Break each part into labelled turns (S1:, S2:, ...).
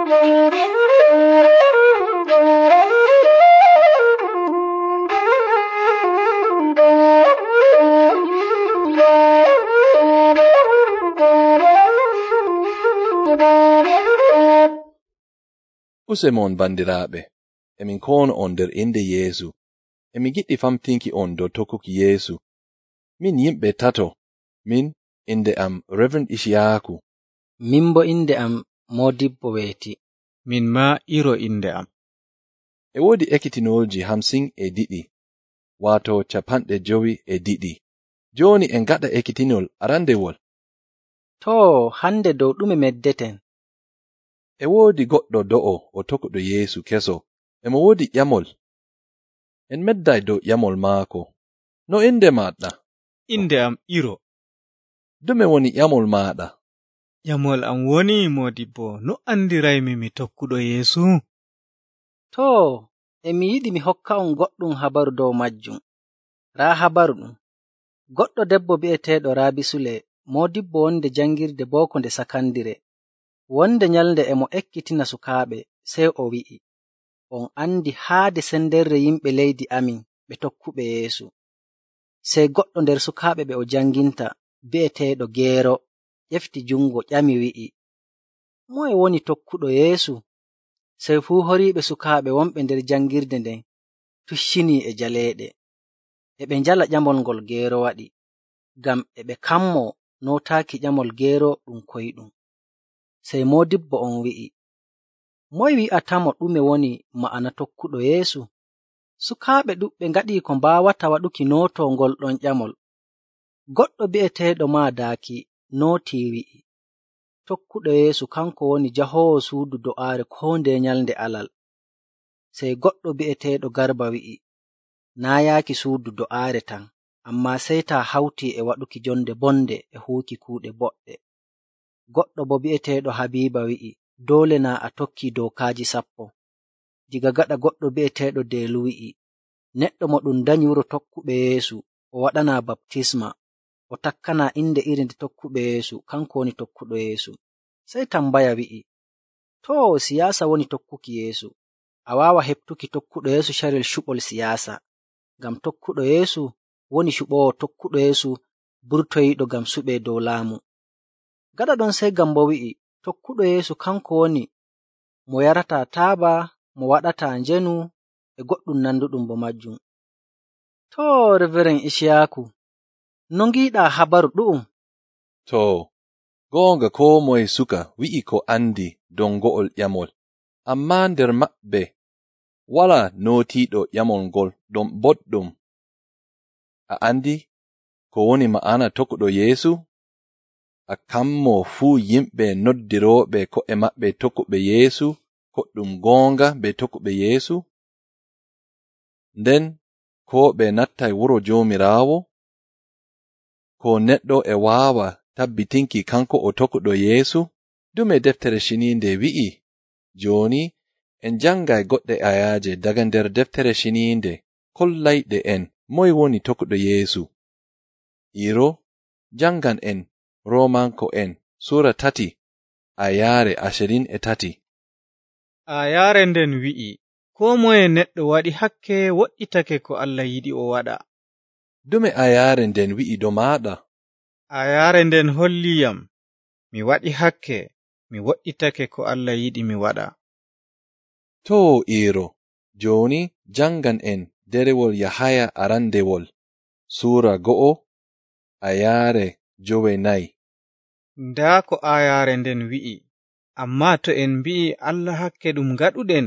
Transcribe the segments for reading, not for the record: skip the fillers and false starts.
S1: Usemon bandiraaɓe, emin kono on nder inde Yeesu. Emi giɗɗi famtinki on dow tokkuki Yeesu. Min yimɓe tato, min inde am Reverend Ishiyaku.
S2: Min bo inde am Modibbo weeti.
S3: Min ma Iro inde am.
S1: E woodi ekkitinolji 52, waato 52. Jooni en gaɗa ekkitinol arandewol.
S2: Too, hande dow ɗume meddeten?
S1: E woodi goɗɗo do'o o tokkuɗo Yeesu keso. Emo woodi ƴamol. En medday dow ƴamol maako. No inde maɗɗa?
S3: Inde am Iro.
S1: Dume woni ƴamol maɗa?
S3: Ƴamol am woni Modibbo, no andiraymi mi tokkuɗo Yeesu?
S2: Too, emi yiɗi mi hokka on goɗɗum habaru dow majjum. Raa habaru ɗum. Goɗɗo debbo bi'eteeɗo Raabi Sule, Modibbo wonde jangirde booko nde sakandire. Wonde nyalnde emo ekkitina sukaaɓe, sey o wi'i, on andi haade senderre yimɓe leydi amin ɓe tokkuɓe Yeesu. Sey goɗɗo nder sukaaɓe ɓe o janginta, bi'eteeɗo Geero, ƴefti jungo ƴami wi'i, moye woni tokkuɗo Yeesu? Sey fuu horiiɓe sukaaɓe wonɓe nder jangirde nden tuccinii e jaleeɗe. E ɓe njala ƴamol ngol Geero waɗi, ngam e ɓe kammoo nootaaki ƴamol Geero ɗum koyɗum. Sey Modibbo on wi'i, moye wi'atamo ɗume woni ma'ana tokkuɗo Yeesu? Sukaaɓe ɗuɓɓe ngaɗii ko mbaawata waɗuki nootoo ngol ɗon ƴamol. Goɗɗo bi'eteeɗo Maadaaki nootii wi'i, tokkuɗo Yeesu kanko woni jahoowo suudu do'aare koo ndeye nyalnde alal. Sey goɗɗo bi'eteeɗo Garba wi'i, naa yaaki suudu do'aare tan, ammaa sey taa hawtii e waɗuki jonde bonde e huuki kuuɗe boɗɗe. Goɗɗo bo bi'eteeɗo Habiiba wi'i, doole naa a tokkii dookaaji 10. Diga gaɗa goɗɗo bi'eteeɗo Deelu wi'i, neɗɗo mo ɗum danyi wuro tokkuɓe Yeesu o waɗanaa baptisma, o takkanaa inde iri nde tokkuɓe Yeesu, kanko woni tokkuɗo Yeesu. Sey tambaya wi'i, too siyaasa woni tokkuki Yeesu. A waawa heɓtuki tokkuɗo Yeesu carel cuɓol siyaasa, ngam tokkuɗo Yeesu woni cuɓoowo tokkuɗo Yeesu burtoyiiɗo ngam suɓee dow laamu. Gaɗa ɗon sey Gambo wi'i, tokkuɗo Yeesu kanko woni mo yarataa taaba, mo waɗataa njenu, e goɗɗum nanduɗum bo majjum. Too, Reverend Ishiyaku, no ngiiɗaa habaru ɗu'um?
S1: Too, goonga koo moye suka wi'i ko andi dow ngo'ol ƴamol, ammaa nder maɓɓe walaa nootiiɗo ƴamol ngol ɗon boɗɗum. A andi ko woni ma'ana tokkuɗo Yeesu? A kammoo fuu yimɓe noddirooɓe ko'e maɓɓe tokkuɓe Yeesu, koɗɗum goonga be tokkuɓe Yeesu? Nden ko ɓe nattay wuro Joomiraawo? Ko neɗɗo e waawa tabbitinki kanko o tokkuɗo Yeesu? Dume deftere ciniinde wi'i? Jooni en jangay goɗɗe ayaaje daga nder deftere ciniinde kollayɗe en moy woni tokkuɗo Yeesu. Iro, jangan en Roomanko en Sura 3 ayaare 23.
S3: Ayaare nden wi'i, koo moye neɗɗo waɗi hakke woɗɗitake ko Allah yiɗi o waɗa.
S1: Dume ayaare nden wi'i do maaɗa?
S3: Ayaare nden holliyam, mi waɗi hakke, mi woɗɗitake ko Allah yiɗi mi waɗa.
S1: Too Iro, jooni jangan en derewol Yahaya arandewol Sura 2 ayaare 9.
S3: Ndaa ko ayaare nden wi'i, ammaa to en mbi'i Allah hakke ɗum gaɗuɗen,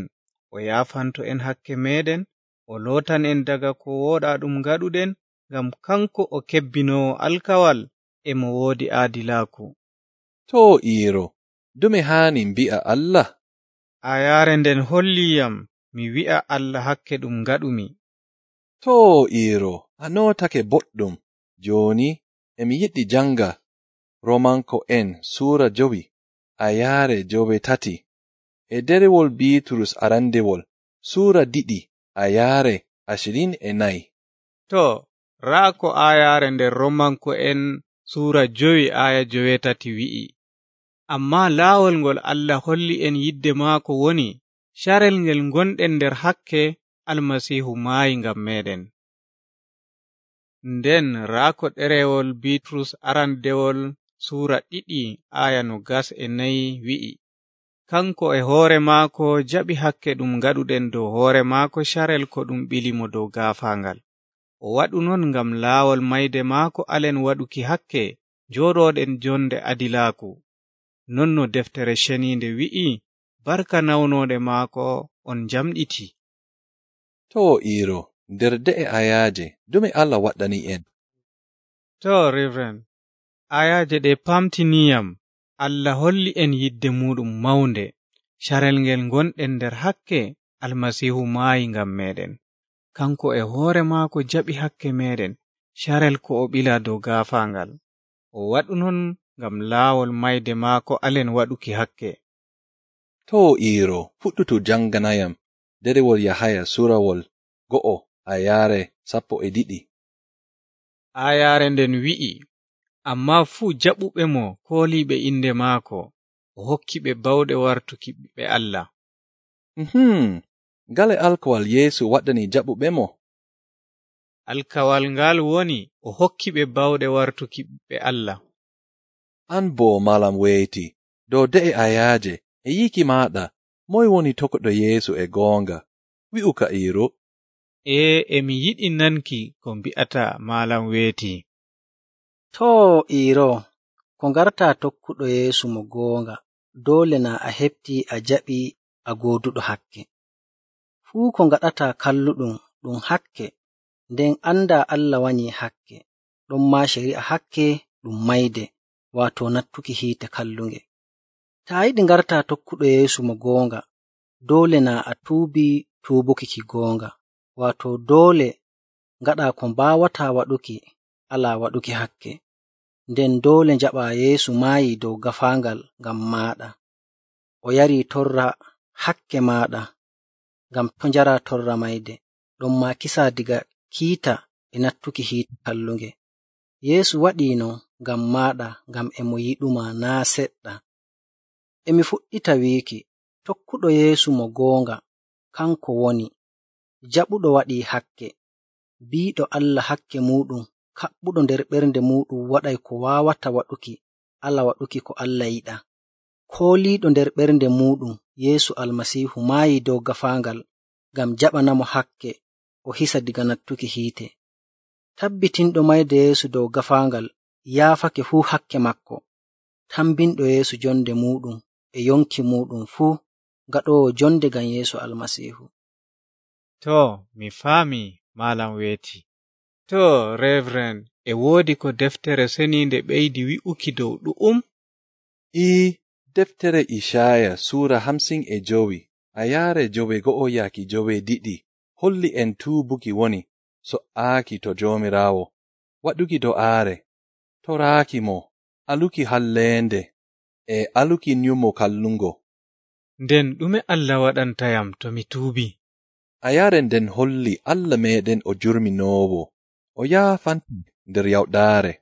S3: o yaafanto en hakke meɗen, o lootan en daga ko wooɗaa ɗum gaɗuɗen, ngam kanko o kebbinoowo alkawal e mo woodi aadilaaku.
S1: Too Iro, dume haani mbi'a Allah?
S3: Ayaare nden holliyam mi wi'a Allah hakke ɗum gaɗumi.
S1: Too Iro, a nootake boɗɗum. Jooni emi yiɗi janga Romanko en Sura 5 ayaare 3 e derewol Biiturus arandewol Sura 2 ayaare 24.
S3: To, raa ko ayaare nder Romanko en Sura 5 aya 3 wi'i, Ammaa laawol ngol Allah holli en yidde maako woni carel ngel gonɗen nder hakke Almasiihu maayi ngam meeɗen. Nden raa ko ɗerewol Biitrus arandewol suura 2 aya 24 wi'i, kanko e hoore maako jaɓi hakke ɗum ngaɗuɗen dow hoore maako carel ko ɗum ɓilimo dow gaafaangal. O waɗu non ngam laawol mayde maako alen waɗuki hakke jooɗooɗen jonde adilaaku. Non no deftere ceniinde wi'i, barka nawnoode maako on jamɗiti.
S1: To Iiro, nder de'e ayaaje, dume Allah waɗani en?
S3: To Reverend, ayaaje ɗe pamtiniyam Allah holli en yidde muɗum mawnde, carel ngel gonɗen nder hakke Almasiihu maayi ngam meɗen. Kanko e hoore maako jaɓi hakke meɗen, carel ko o ɓila dow gaafaangal. O waɗu non ngam laawol mayde maako alen waɗuki hakke.
S1: To Iiro, fuɗɗutu janganayam derewol Yahaya suurawol 1 ayaare 12.
S3: Ayaare nden wi'i, ammaa fuu jaɓuɓe mo kooliiɓe inde maako, o hokki ɓe bawɗe wartuki ɓiɓɓe Allah.
S1: Ngale alkawal Yeesu waɗani jaɓuɓe mo?
S3: Alkawal ngal woni o hokki ɓe bawɗe wartuki ɓiɓɓe Allah.
S1: An boo malam weyti, dow de'e ayaaje e yiki maaɗa, moy woni tokoɗo Yeesu e goonga? Wi'u ka Iiro.
S3: Emi yiɗi nanki ko mbi'ata malam weeti.
S2: To Iiro, ko ngarta tokkuɗo Yeesu mo goonga, doole na a heɓti a jaɓi a gooduɗo hakke. Fuu ko ngaɗata kalluɗum ɗum hakke, nden anda Allah wanyi hakke, ɗon ma shari'a hakke ɗum mayde, waato nattuki hiite kallunge. Ta yiɗi ngarta tokkuɗo Yeesu mo goonga, doole na a tuubi tuubuki ki goonga, waato doole ngaɗa ko mbaawata waɗuki alaa waɗuki hakke, nden doole njaɓa Yeesu maayi dow gafaangal ngam maaɗa. O yari torra hakke maaɗa ngam to njara torra mayde, ɗon ma kisa diga kiita e nattuki hiite kallunge. Yeesu waɗii non ngam maaɗa, ngam e mo yiɗuma naa seɗɗa. Emi fuɗɗita wiiki, tokkuɗo Yeesu mo goonga kanko woni jaɓuɗo waɗii hakke, biiɗo Allah hakke muɗum, kaɓɓuɗo nder ɓernde muɗum waɗay ko waawata waɗuki ala waɗuki ko Allah yiɗa. Kooliiɗo nder ɓernde muɗum Yeesu Almasiihu maayi dow gafaangal ngam jaɓanamo hakke o hisa diga nattuki hiite. Tabbitinɗo mayde Yeesu dow gafaangal yaafake fuu hakke makko, tambinɗo Yeesu jonde muɗum e yonki muɗum fuu, gaɗowo jonde ngam Yeesu Almasiihu.
S3: To, mi faami malam weeti. To, Reverend, e woodi ko deftere seniinde ɓeydi wi'uki dow ɗu'um?
S1: Deftere Ishaya suura 55 ayaare 9 holli en tuubuki woni so'aaki to Joomiraawo, waɗuki do'aare, toraaki mo, aluki halleende, e aluki nyumo kallungo.
S3: Nden ɗume Allah waɗantayam to mi tuubi?
S1: Ayaare nden holli Allah meɗen o jurminoowo, o yaafanti nder yawɗaare.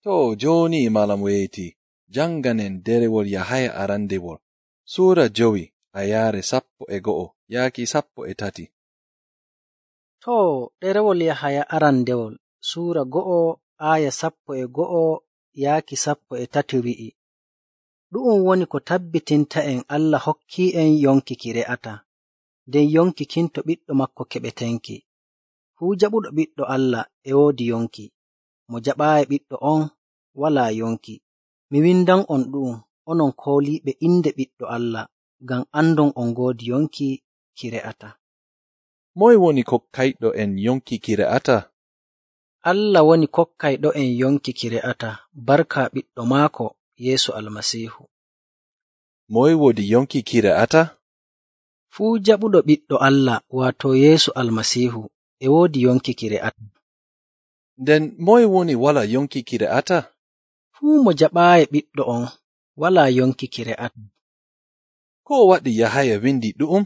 S1: To jooni malam weyti, janganen derewol Yahaya arandewol suura 5 ayaare 11 yaaki 13.
S2: To ɗerewol Yahaya arandewol suura 1 aya 11 yaaki 13 wi'i, ɗu'um woni ko tabbitinta en Allah hokki en yonki ki re'ata, nden yonki kin to ɓiɗɗo makko keɓetenki. Fuu jaɓuɗo ɓiɗɗo Allah e woodi yonki, mo jaɓaayi ɓiɗɗo on walaa yonki. Mi windan on ɗu'um, onon kooliiɓe inde ɓiɗɗo Allah, ngam andon on ngoodi yonki ki re'ata.
S1: Moy woni kokkayɗo en yonki ki re'ata?
S2: Allah woni kokkayɗo en yonki ki re'ata, barka ɓiɗɗo maako Yeesu Almasiihu.
S1: Moy woodi yonki ki re'ata?
S2: Fuu jaɓuɗo ɓiɗɗo Allah waato Yeesu Almasiihu e woodi yonki ki re'ata.
S1: Nden moy woni wala yonki ki re'ata?
S2: Fuu mo jaɓaayi ɓiɗɗo on walaa yonki ki re'ata.
S1: Ko waɗi Yahaya windi ɗu'um?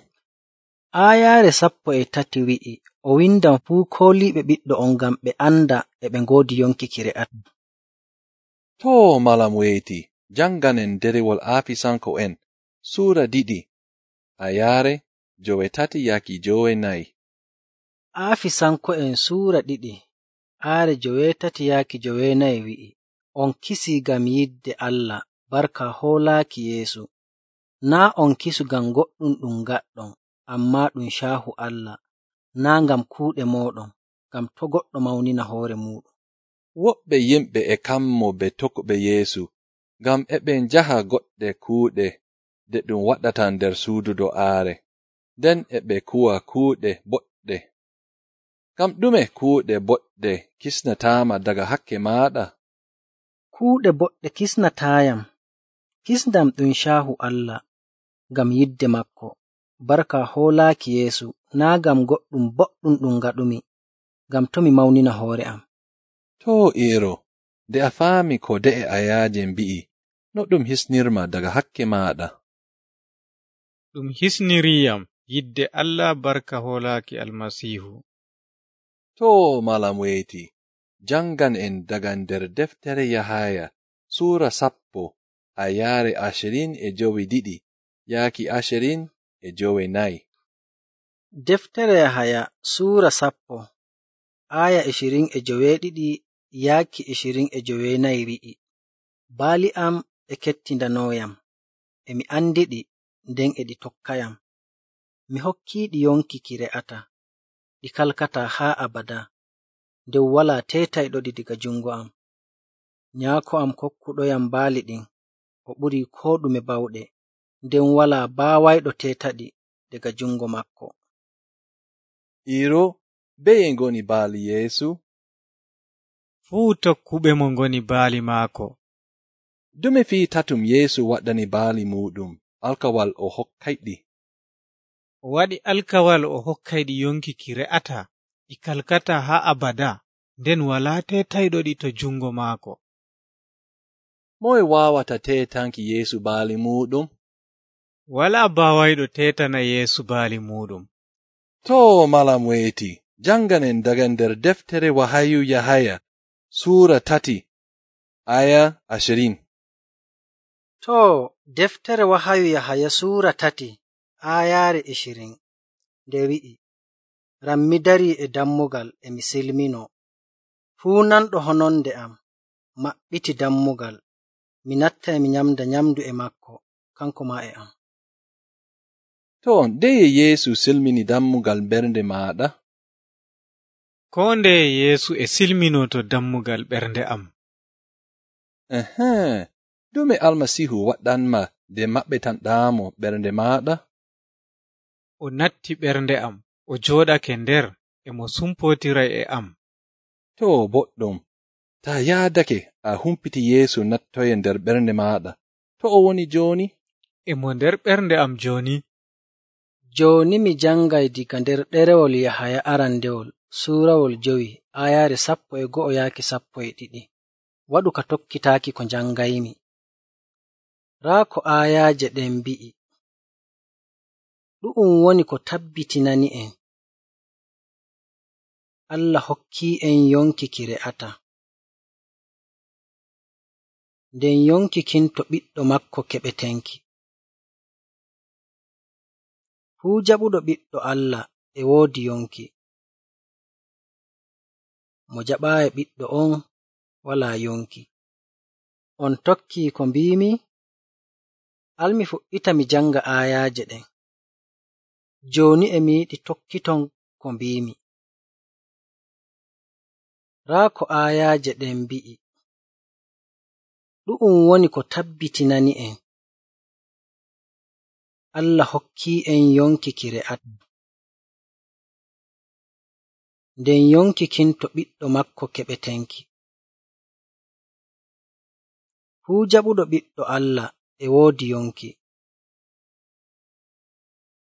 S2: Aayaare 13 wi'i, o windan fuu kooliiɓe ɓiɗɗo on ngam ɓe anda e ɓe ngoodi yonki ki re'ata.
S1: To malam weyti, janganen derewol Aafisanko'en Suura 2 ayaare 13-14.
S2: Aafisanko'en Suura 2 aare 13-14 wi'i, on kisii ngam yidde Allah barka hoolaaki Yeesu. Naa on kisu ngam goɗɗum ɗum ngaɗɗon, ammaa ɗum caahu Allah, naa ngam kuuɗe mooɗon, ngam to' goɗɗo mawnina hoore muuɗum.
S1: Woɓɓe yimɓe e kammo be tokkuɓe Yeesu, ngam e ɓe njaha goɗɗe kuuɗe de ɗum waɗata nder suudu do'aare, nden e ɓe kuwa kuuɗe boɗɗe. Ngam ɗume kuuɗe boɗɗe kisnataama daga hakke maaɗa?
S2: Kuuɗe boɗɗe kisnataayam. Kisndam ɗum caahu Allah, ngam yidde makko, barka hoolaaki Yeesu, naa ngam goɗɗum boɗɗum ɗum ngaɗumi, ngam to mi mawnina hoore am.
S1: Too Iiro, nde a faami ko de'e ayaaje mbi'i, no ɗum hisnirma daga hakke maaɗa?
S3: Ɗum hisniriyam yidde Allah barka hoolaaki Almasiihu.
S1: Too malam weeti, jangan en daga nder deftere Yahaya Suura 10 ayaare 22 yaaki 24.
S2: Deftere Yahaya Suura 10 aya 22 yaaki 24 wi'i, baali am e kettindanoyam, emi andiɗi nden e ɗi tokkayam. Mi hokkiiɗi yonki ki re'ata, ɗi kalkata haa abada, nden walaa teetayɗoɗi diga jungo am. Nyaako am kokkuɗoyam baali ɗin, o ɓurii koo ɗume bawɗe, nden walaa baawayɗo teetaɗi daga jungo makko.
S1: Iiro, beye ngoni baali Yeesu?
S3: Fuu tokkuɓe mo ngoni baali maako.
S1: Dume fii tatum Yeesu waɗani baali muɗum alkawal o hokkayɗi?
S3: O waɗi alkawal o hokkayɗi yonki ki re'ata, ɗi kalkata haa abada, nden walaa teetayɗoɗi to jungo maako.
S1: Moye waawata teetanki Yeesu baali muɗum?
S3: Walaa baawayɗo teetana Yeesu baali muɗum.
S1: Too malam weeti, janganen daga nder deftere Wahayu Yahaya Suura 3 aya 20.
S2: Too, deftere Wahayu Yahaya Suura 3 aayaare 20 nde wi'i, ran mi darii e dammugal e mi silmino, fuu nanɗo hononde am maɓɓiti dammugal, mi natta e mi nyamda nyamdu e makko, kanko maa e am.
S1: To, ndeye Yeesu silmini dammugal ɓernde maaɗa?
S3: Koo ndeye Yeesu e silmino to dammugal ɓernde am.
S1: Dume Almasiihu waɗanma nde maɓɓetanɗaamo ɓernde maaɗa?
S3: O natti ɓernde am, o jooɗake nder, e mo sumpotiray e am.
S1: To boɗɗum, taa yaadake a humpiti Yeesu nattoye nder ɓernde maaɗa, to o woni jooni?
S3: E mo nder ɓernde am jooni.
S2: Jooni mi jangay diga nder ɗerewol Yahaya arandewol suurawol 5 aayaare 11 yaaki 12. Waɗu ka tokkitaaki ko jangaymi. Raa ko aayaaje ɗen mbi'i, ɗu'um woni ko tabbitinani en. Allah hokkii en yonki ki re'ata, nden yonki kin to ɓiɗɗo makko keɓetenki. Fuu jaɓuɗo ɓiɗɗo Allah e woodi yonki, mo jaɓaayi ɓiɗɗo on walaa yonki. On tokkii ko mbiimi? Almi fuɗɗita mi janga aayaaje ɗen. Jooni e mi yiɗi tokkiton ko mbiimi. Raa ko aayaaje ɗen mbi'i, ɗu'um woni ko tabbitinani en. Allah hokkii en yonki ki re'ata, nden yonki kin to ɓiɗɗo makko keɓetenki. Fuu jaɓuɗo ɓiɗɗo Allah e woodi yonki,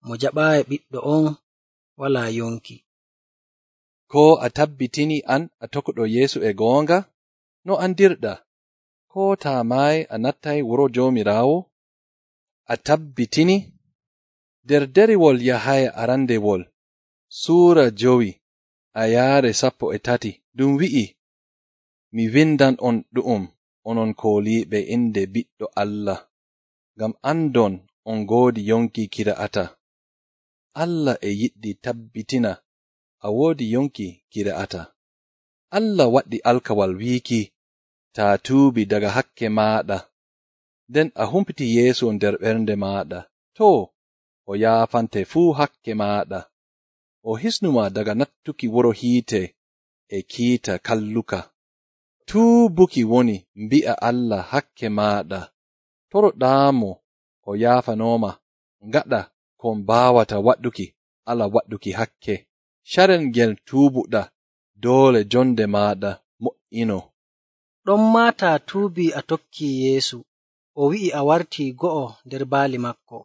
S2: mo jaɓaayi ɓiɗɗo on walaa yonki.
S1: Ko a tabbitini an a tokkuɗo Yeesu e goonga? No andirɗa? Ko taa maayi a nattay wuro Joomiraawo? A tabbitini? Nder derewol Yahaya arandewol Suura 5 ayaare 13 ɗum wi'i, mi windan on ɗu'um onon kooliiɓe inde Ɓiɗɗo Allah, ngam andon on ngoodi yonki kira'ata. Allah e yiɗi tabbitina a woodi yonki kira'ata. Allah waɗi alkawal wiiki, taa tuubi daga hakke maaɗa, nden a humpiti Yeesu nder ɓernde maaɗa, too, o yaafante fuu hakke maaɗa. O hisnuma daga nattuki wuro hiite e kiita kalluka. Tuubuki woni mbi'a Allah hakke maaɗa, toroɗaamo o yaafanoma ngaɗa kon baawata waɗuki ala waɗuki hakke. Carel ngel tuubuɗa doole jonde maaɗa mo'ino.
S2: Ɗon maa taa tuubi a tokki Yeesu, o wi'i a wartii go'o nder baali makko,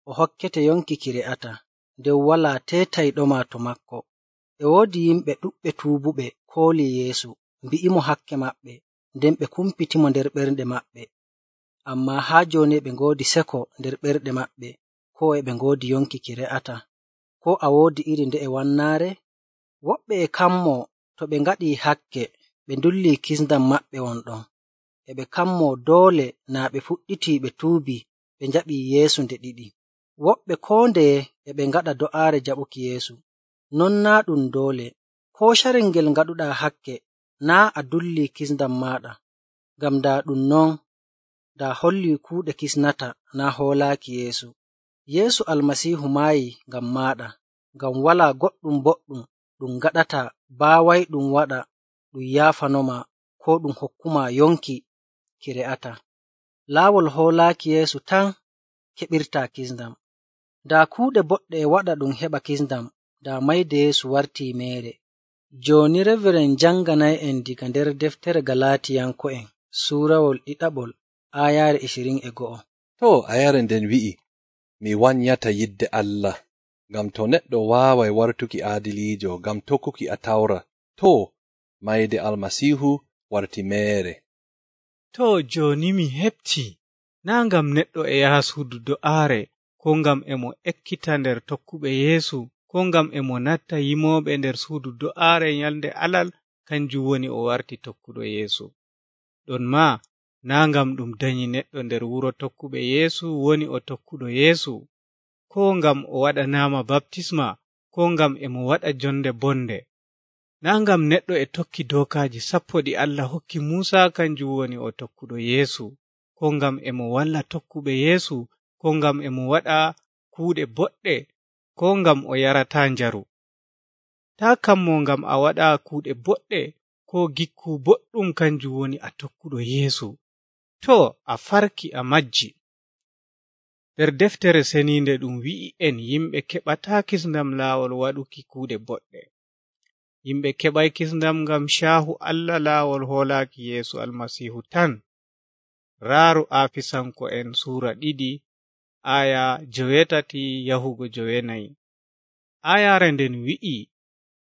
S2: o hokkete yonki ki re'ata, nden walaa teetayɗoma to makko. E woodi yimɓe ɗuɗɓe tuubuɓe kooli Yeesu, mbi'imo hakke maɓɓe, nden ɓe kumpitimo nder ɓernde maɓɓe. Ammaa haa jooni ɓe ngoodi seko nder ɓerɗe maɓɓe, ko e ɓe ngoodi yonki ki re'ata. Ko a woodi iri nde'e wannaare? Woɓɓe e kammoo to ɓe ngaɗii hakke, ɓe ndullii kisndam maɓɓe wonɗon. E ɓe kammoo doole naa ɓe fuɗɗitii ɓe tuubi ɓe njaɓii Yeesu nde ɗiɗi. Woɓɓe koo ndeye e ɓe ngaɗa do'aare jaɓuki Yeesu. Non naa ɗum doole. Koo carel ngel ngaɗuɗaa hakke, naa a dullii kisndam maaɗa. Ngam daa ɗum non, daa hollii kuuɗe kisnata naa hoolaaki Yeesu. Yeesu Almasiihu maayi ngam maaɗa, ngam walaa goɗɗum boɗɗum ɗum gaɗata baawayɗum waɗa ɗum yaafanoma koo ɗum hokkuma yonki ki re'ata. Laawol hoolaaki Yeesu tan keɓirtaa kisndam. Daa kuuɗe boɗɗe e waɗa ɗum heɓa kisndam, daa mayde Yeesu wartii meere. Jooni Reveren janganay'en diga nder deftere Galaatiyanko'en suurawol ɗiɗaɓol aayaare 21.
S1: Too ayaare nden wi'i, mi wanyata yidde Allah, ngam to neɗɗo waaway wartuki aadiliijo ngam tokkuki Atawra, too mayde Almasiihu warti meere.
S3: Too jooni mi heɓti, naa ngam neɗɗo e yaha suudu do'aare, ko ngam e mo ekkita nder tokkuɓe Yeesu, ko ngam e mo natta yimooɓe nder suudu do'aare nyalnde Alal, kanjum woni o warti tokkuɗo Yeesu. Ɗon maa, naa ngam ɗum danyi neɗɗo nder wuro tokkuɓe Yeesu woni o tokkuɗo Yeesu, ko ngam o waɗanaama baptisma, ko ngam e mo waɗa jonde bonde. Naa ngam neɗɗo e tokki dookaaji 10 ɗi Allah hokki Muusa kanjum woni o tokkuɗo Yeesu, ko ngam e mo walla tokkuɓe Yeesu, ko ngam e mo waɗa kuuɗe boɗɗe, ko ngam o yarataa njaru. Taa kammo ngam a waɗa kuuɗe boɗɗe ko gikku boɗɗum kanjum woni a tokkuɗo Yeesu. Too a farki a majji. Nder deftere seniinde ɗum wi'i en yimɓe keɓataa kisndam laawol waɗuki kuuɗe boɗɗe. Yimɓe keɓay kisndam ngam caahu Allah laawol hoolaaki Yeesu Almasiihu tan. Raaru Aafisanko'en suura 2 aya 8 yahugo 9. Ayaare nden wi'i,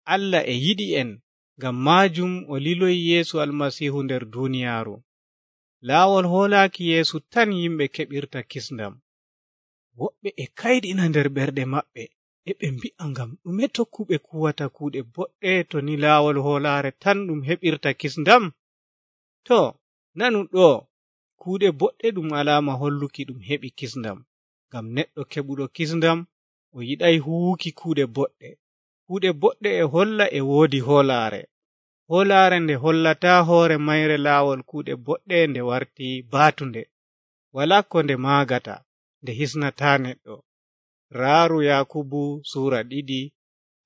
S3: Allah e yiɗi en, ngam maajum o liloyi Yeesu Almasiihu nder duuniyaaru. Laawol hoolaaki Yeesu tan yimɓe keɓirta kisndam. Woɓɓe e kayɗina nder ɓerɗe maɓɓe, e ɓe mbi'a ngam ɗume tokkuɓe kuwata kuuɗe boɗɗe to ni laawol hoolaare tan ɗum heɓirta kisndam? To, nanu ɗo, kuuɗe boɗɗe ɗum alaama holluki ɗum heɓi kisndam, ngam neɗɗo keɓuɗo kisndam o yiɗay huwuki kuuɗe boɗɗe. Kuuɗe boɗɗe e holla e woodi hoolaare. Hoolaare nde hollataa hoore mayre laawol kuuɗe boɗɗe nde warti baatunde. Walaa ko nde maagata, nde hisnataa neɗɗo. Raaru Yakubu suura 2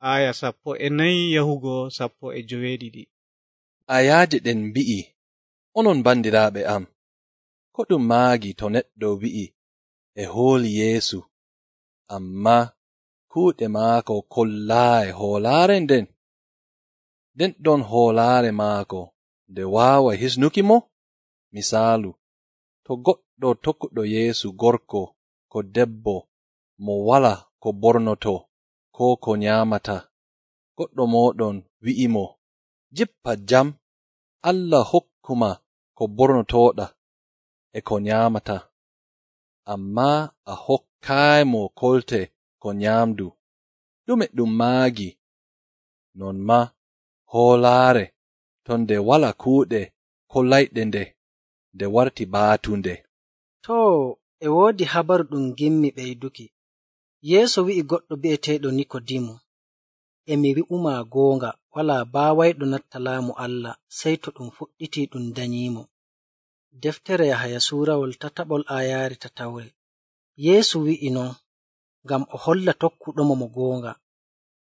S3: aya 14 yahugo 19.
S1: Ayaaje ɗen mbi'i, onon bandiraaɓe am, ko ɗum maagi to neɗɗo wi'i e hooli Yeesu, amma kuuɗe maako kollaayi hoolaare nden ɗon hoolaare maako nde waaway hisnuki mo? Misaalu, to goɗɗo tokkuɗo Yeesu gorko ko debbo mo wala ko bornoto ko ko nyaamata, goɗɗo mooɗon wi'imo, jippa jam, Allah hokkuma ko bornotooɗa e ko nyaamata, amma a hokkaymo kolte ko nyaamdu, ɗume ɗum maagi? Non ma hoolaare ton nde wala kuuɗe kollayɗe nde, nde warti baatunde.
S2: Too, e woodi habaru ɗum gimmi ɓeyduki. Yeesu wi'i goɗɗo bi'eteeɗo Nikodimu, e mi wi'umaa goonga, walaa baawayɗo natta laamu Allah sey to ɗum fuɗɗitii ɗum danyiimo. Deftere Yahaya suurawol tataɓol aayaare tatawre. Yeesu wi'i non ngam o holla tokkuɗomo mo goonga.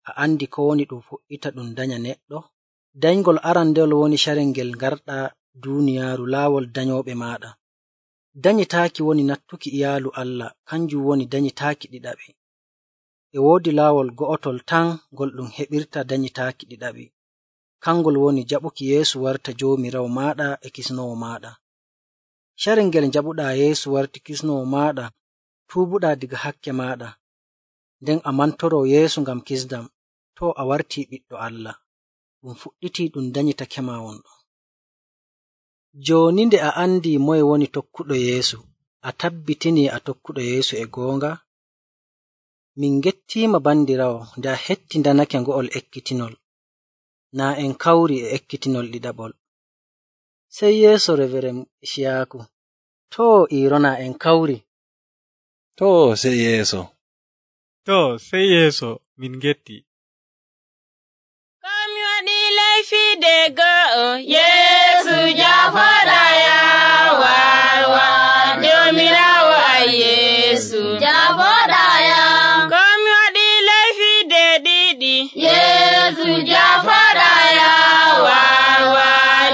S2: A andi ko woni ɗum fuɗɗita ɗum danya neɗɗo? Dayngol arandewol woni carel ngel ngarɗaa duuniyaaru laawol danyooɓe maaɗa. Danyitaaki woni nattuki iyaalu Allah, kanjum woni danyitaaki ɗiɗaɓi. E woodi laawol go'otol tan ngol ɗum heɓirta danyitaaki ɗiɗaɓi. Kangol woni jaɓuki Yeesu warta Joomiraawo maaɗa e kisnowo maaɗa. Carel ngel jaɓuɗaa Yeesu warti kisnowo maaɗa, tuubuɗaa diga hakke maaɗa, nden a mantoroo Yeesu ngam kisdam, to a wartii ɓiɗɗo Allah. Ɗum fuɗɗitii ɗum danyitakema wonɗon. Jooni nde a andii moye woni tokkuɗo Yeesu, a tabbitinii a tokkuɗo Yeesu e goonga? Min gettiima bandiraawo nde a hetti ndanake ngo'ol ekkitinol. Naa en kawri e ekkitinol ɗiɗaɓol. Sey yeeso Reveren Ciyaaku, too Iirona en kawri.
S1: Too sey yeeso.
S3: Too sey yeeso min getti.
S4: Komi waɗi leyfiide go'o, Yeesu jafoɗa yawa, Joomiraawo ay Yeesu jafoɗa yam. Komi waɗi leyfiide ɗiɗi, Yeesu jafoɗa yawa,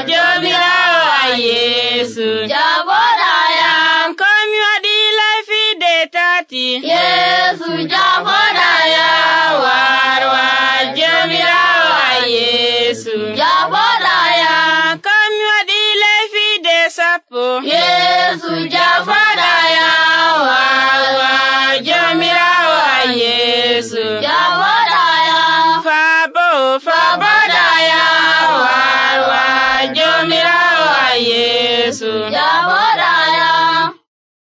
S4: Joomiraawo ay Yeesu jafoɗa yam. Komi waɗi leyfiide tati, Yeesu jafoɗa yawa.